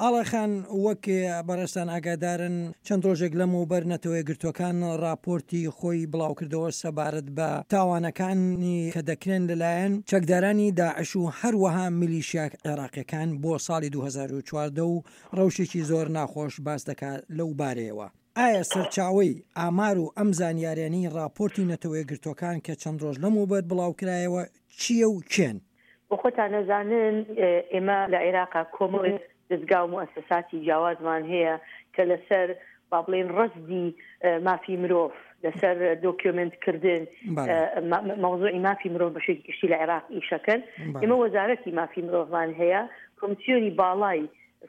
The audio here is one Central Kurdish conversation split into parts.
ئاڵا خان وەک بەڕێزتان ئاگادارن چەند ڕۆژێک لەمەوبەر نەتەوەیەکگرتووەکان ڕاپۆرتی خۆی بڵاوکردەوە سەبارەت بە تاوانەکانی کە دەکرێن لەلایەن چەکدارانی داعش و هەروەها میلیشیا عێراقیەکان بۆ ساڵی 2014 و ڕەوشێکی زۆر ناخۆش باس دەکات لەو بارەیەوە. ئایا سەرچاوەی ئامار و ئەم زانیاریانەی ڕاپۆرتی نەتەوەیەکگرتووەکان کە چەند ڕۆژ لەمەوبەر بڵاوکرایەوە چییە و کێن؟ بۆ خۆتان ئەزانن ئێمە لە عێراقا کۆمەڵێک دەزگا و موئەسەساتی جیاوازمان هەیە کە لەسەر با بڵێین ڕەسدی مافی مرۆڤ لەسەر دۆکیۆمێنت کردن مەوزوعی مافی مرۆڤ بە شێوەیەکی گشتی لە عێراق ئیشەکەن. ئێمە وەزارەتی مافی مرۆڤمان هەیە، کۆمسیۆنی باڵای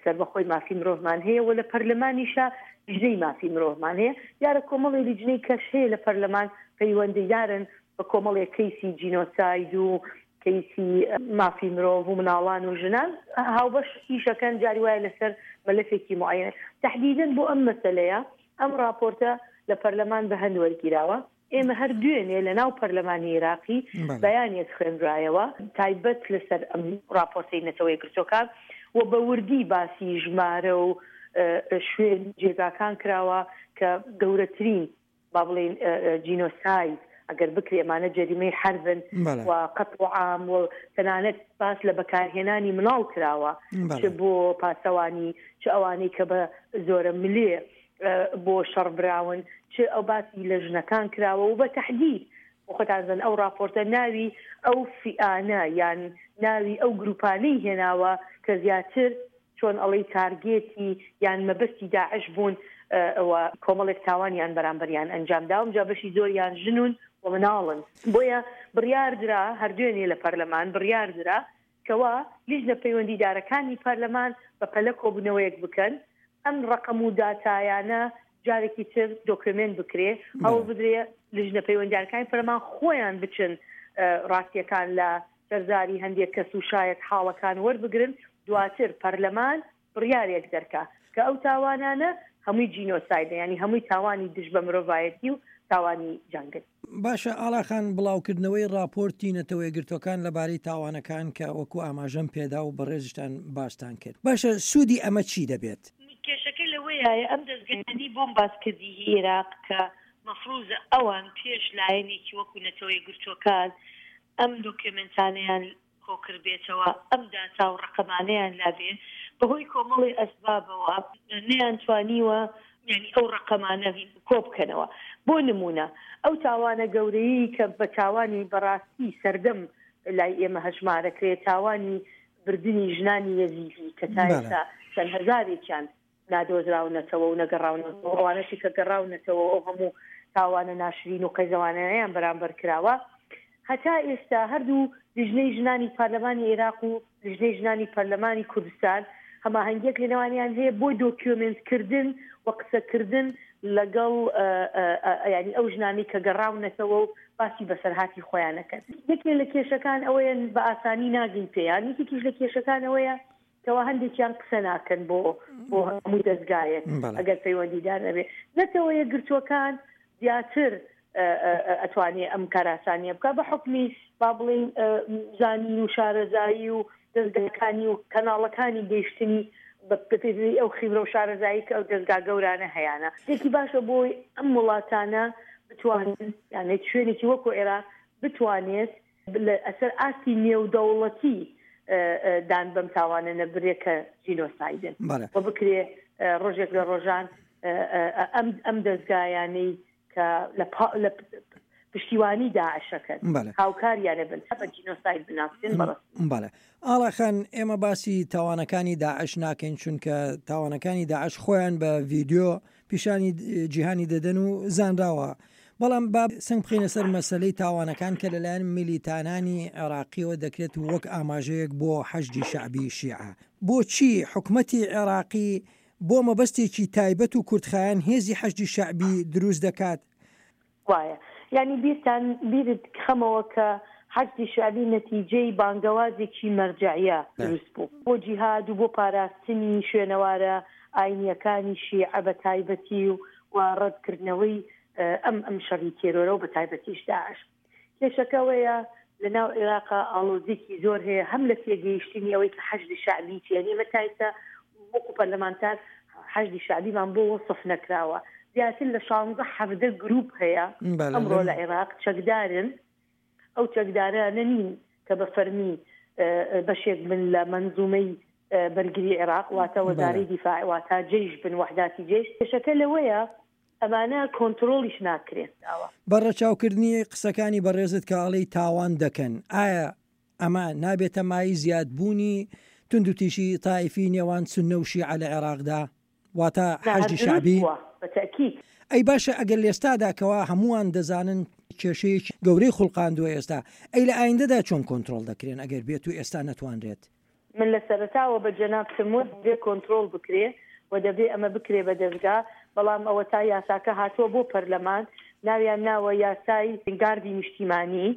سەربەخۆی مافی مرۆڤمان هەیە و لە پەرلەمانیشا لیژنەی مافی مرۆڤمان هەیە. دیارە کۆمەڵێ لیژنەی کەش هەیە لە پەرلەمان پەیوەندیدارن بە کۆمەڵێک کەیسی جینۆساید و کەیسی مافی مرۆڤ و مناڵان و ژنان هاوبەش ئیشەکەن جاری وایە لەسەر مەلەفێکی معەیەن تەحدیدەن بۆ ئەم مەسەلەیە ئەم ڕاپۆرتە لە پەرلەمان بە هەند وەرگیراوە ئێمە هەر دوێنێ لە ناو پەرلەمانی عێراقی بەیانێک خوێنرایەوە تایبەت لەسەر ئەم ڕاپۆرتەی نەتەوە یەکگرتووەکان و بە وردی باسی ژمارە و شوێن جێگاکان کراوە کە گەورەترین با بڵێین جینۆساید ئەگەر بکرێ ئەمانە جەریمەی حەربن و قەتڵ و عام و تەنانەت باس لە بەکارهێنانی مناڵ کراوە چ بۆ پاسەوانی چ ئەوانەی کە بە زۆرە ملێ بۆ شەڕ براون چ ئەو باسی لە ژنەکان کراوە و بە تەحدید خۆتان زن ئەو راپۆرتە ناوی ئەو فیئانە یان ناوی ئەو گروپانەی هێناوە کە زیاتر چۆن ئەڵێی تارگێتی یان مەبەستی داعش بوون و کۆمەڵێک تاوانیان بەرامبەریان ئەنجام داوم جا بەشی زۆریان ژنون و مناڵن بۆیە بڕیار درا هەر دوێنێ لە پەرلەمان بڕیار درا کەوا لیژنە پەیوەندیدارەکانی پەرلەمان بە پەلە کۆبوونەوەیەک بکەن ئەم ڕەقەم و داتایانە جارێکی تر دۆکیۆمێنت بکرێ هەوڵ بدرێ لیژنە پەیوەندیارەکانی پەرلەمان خۆیان بچن ڕاستیەکان لە سەرزاری هەندێک کەس و شایەت حاڵەکان وەربگرن، دواتر پەرلەمان بڕیارێک دەرکا کە ئەو تاوانانە هەمووی جینۆسایدە یانی هەمووی تاوانی دژ بە مرۆڤایەتی و تاوانی جەنگن. باشە ئاڵا خان بڵاوکردنەوەی ڕاپۆرتی نەتەوەیەکگرتوەکان لەبارەی تاوانەکان کە وەکو ئاماژەم پێدا و بەڕێزیشتان باستان کرد باشە سوودی ئەمە چی دەبێت؟ کێشەکە لەوەیایە ئەم دەزگایانەی بۆم باس کردی هی ئێراق کە مەفروزە ئەوان پێش لایەنێکی وەکو نەتەوەیەکگرتوەکان ئەم دۆکیۆمێنتانەیان کۆکردبێتەوە، ئەم داتا و ڕەقەمانەیان لابێ، بەهۆی کۆمەڵێ ئەسبابەوە نەیانتوانیوە یانی ئەو ڕەقەمانە کۆبکەنەوە. بۆ نموونە ئەو تاوانە گەورەیەی کە بە تاوانی بەڕاستی سەردەم لای ئێمە هەژمارەکرێ، تاوانی بردنی ژنانی یەزیدی کە تا ئێستا چەند هەزارێکیان نادۆزراونەتەوە و نەگەڕاونەتەوە، ئەوانەشی کە گەڕاونەتەوە ئەو هەموو تاوانە ناشرین و قێزەوانانەیان بەرامبەر کراوە. هەتا ئێستا هەردوو لیژنەی ژنانی پەرلەمانی عێراق و لیژنەی ژنانی پەرلەمانی کوردستان هەماهەنگیەک لەنێوانیان هەیە بۆ دۆکیۆمێنت کردن و قسەکردن لەگەڵ یانی ئەو ژنانەی کە گەڕاونەتەوە و باسی بەسەرهاتی خۆیان ئەکەن. یەکێ لە کێشەکان ئەوەیە بە ئاسانی ناگەی پێیان، یەکێکیش لە کێشەکان ئەوەیە کەوا هەندێکیان قسە ناکەن بۆ بۆ هەموو دەزگایەک ئەگەر پەیوەندیدار نەبێ. نەتەوە یەکگرتووەکان زیاتر ئەتوانێ ئەم کاراسانیە بکا بە حوکمی با بڵێین زانین و شارەزایی و دەزگاکانی و کەناڵەکانی گەیشتنی بە پێی ئەو خیبرە و شارەزایی کە ئەو دەزگا گەورانە هەیانە. شتێکی باشە بۆی ئەم وڵاتانە بتوانن یانێ شوێنێکی وەکو عێراق بتوانێت لەسەر ئاستی نێودەوڵەتی دان بەم تاوانە نەبرێ کە جینۆسایدن و بکرێ ڕۆژێک لە ڕۆژان ئەم ئەم دەزگایانەی کە لە پشتیوانی داعشەکەن هاوکاریانە بن بە جینۆساید بناسرێن بەڕاستی. بەڵێ ئاڵا خان ئێمە باسی تاوانەکانی داعش ناکەین چونکە تاوانەکانی داعش خۆیان بە ڤیدیۆ پیشانی جیهانی دەدەن و زانراوە، بەڵام با سەنگ بخەینە سەر مەسەلەی تاوانەکان کە لەلایەن میلیتانانی عێراقیەوە دەکرێت و وەک ئاماژەیەک بۆ حەشدی شەعبی شیعە. بۆچی حکومەتی عێراقی بۆ مەبەستێکی تایبەت و کورتخایەن هێزی حەشدی شەعبی دروست دەکات؟ وایە یانی بیرتان بیرت خەمەوە کە حەشدی شەعبی نەتیجەی بانگەوازێکی مەرجەعیە دروست بوو بۆ جیهاد و بۆ پاراستنی شوێنەوارە ئاینیەکانی شیعە بە تایبەتی و و ڕەتکردنەوەی ئەم ئەم شەڕی تێرۆرە و بە تایبەتیش داعش. کێشەکە ئەوەیە لە ناو عێراقا ئاڵۆزیەکی زۆر هەیە هەم لە تێگەیشتنی ئەوەی کە حەشدی شەعبی چیە یانی ئێمە تا ئێستا. وەکو پەرلەمانتار حەشدی شەعبیمان بۆ وەسف نەکراوە. زیاتر لە شانزە حەڤدە گروپ هەیە ئەمڕۆ لە عێراق چەکدارن، ئەو چەکدارانە نین کە بە فەرمی بەشێک بن لە مەنزومەی بەرگری عێراق واتە وەزارەی دیفاع واتە جەیش بن وەحداتی جەیش. کێشەکە لەوەیە ئەمانە کۆنترۆڵیش ناکرێن. بە ڕەچاوکردنی قسەکانی بەڕێزت کە ئەڵێی تاوان دەکەن، ئایا ئەمە نابێتە مایەی زیادبوونی توندوتیژی تائیفی نێوان سوننە و شیعە لە عێراقدا؟ واتە حەشدی شەعبی؟ ئەی باشە ئەگەر لێستادا کەوا هەمووان دەزانن کێشەیەکی گەورەی خوڵقاندووە ئێستا، ئەی لە ئایندەدا چۆن کۆنترۆڵ دەکرێن ئەگەر بێتو ئێستا نەتوانرێت؟ من لە سەرەتاوە بە جەنابتم وت دەبێ کۆنترۆڵ بکرێ و دەبێ ئەمە بکرێ بە دەزگا، بەڵام ئەوەتا یاساکە هاتووە بۆ پەرلەمان، ناویان ناوە یاسای گاردی نیشتیمانی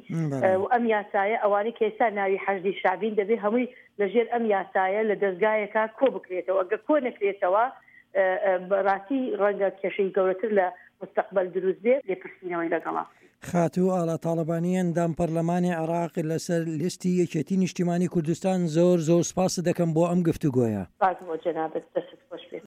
و ئەم یاسایە ئەوانەی کە ئێستا ناوی حەشدی شەعبین دەبێ هەمووی لە ژێر ئەم یاسایە لە دەزگایەکا کۆ بکرێتەوە، گەر کۆ نەکرێتەوە بەڕاستی ڕەنگە کێشەی گەورەتر لە مستەقبەل دروست بێ، لێپرسینەوەی لەگەڵا بکرێ. خاتوو ئاڵا تاڵەبانی ئەندام پەرلەمانی عێراق لەسەر لیستی یەکێتی نیشتیمانی کوردستان زۆر زۆر سپاست دەکەم بۆ ئەم گفتوگۆیە. سپاس بۆ جەنابت دەستت خۆش بێت.